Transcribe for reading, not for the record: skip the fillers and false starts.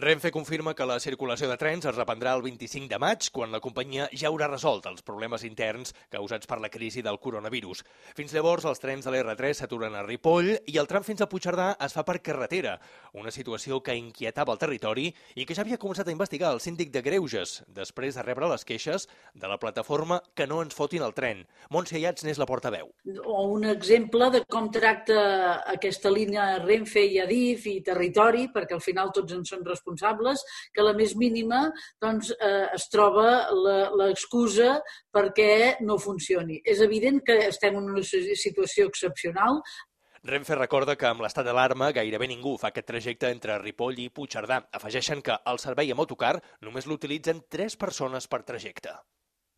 Renfe confirma que la circulació de trens es reprendrà el 25 de maig, quan la companyia ja haurà resolt els problemes interns causats per la crisi del coronavirus. Fins llavors, els trens de l'R3 s'aturen a Ripoll i el tram fins a Puigcerdà es fa per carretera, una situació que inquietava el territori i que ja havia començat a investigar el síndic de Greuges, després de rebre les queixes de la plataforma Que no ens fotin el tren. Montse Ayats n'és la portaveu. O un exemple de com tracta aquesta línia Renfe i Adif i territori, perquè al final tots en són responsables, que la més mínima es troba l'excusa perquè no funcioni. És evident que estem en una situació excepcional. Renfe recorda que amb l'estat d'alarma gairebé ningú fa aquest trajecte entre Ripoll i Puigcerdà. Afegeixen que el servei amb autocar només l'utilitzen 3 persones per trajecte.